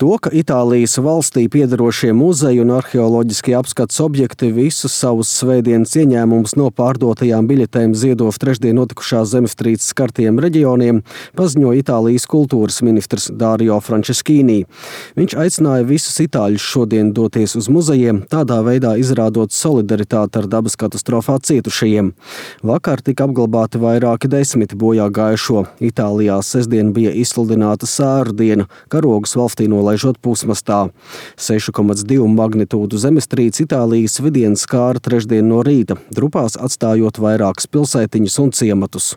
To, ka Itālijas valstī piederošie muzeji un arheoloģiskie apskates objekti visus savus svētdienas ieņēmumus no pārdotajām biļetēm ziedo trešdien notikušās zemestrīces skartiem reģioniem, paziņoja Itālijas kultūras ministrs Dario Franceschini. Viņš aicināja visus itāļus šodien doties uz muzejiem, tādā veidā izrādot solidaritāti ar dabas katastrofā cietušajiem. Vakar tika apglabāti vairāki desmiti bojā gājušo. Itālijā sestdien bija izsludināta sēru diena, karogus valstī nolaižot pusmastā. 6,2 magnitūdu zemestrīce Itālijas vidienu skāra trešdien no rīta, drupās atstājot vairākas pilsētiņas un ciematus.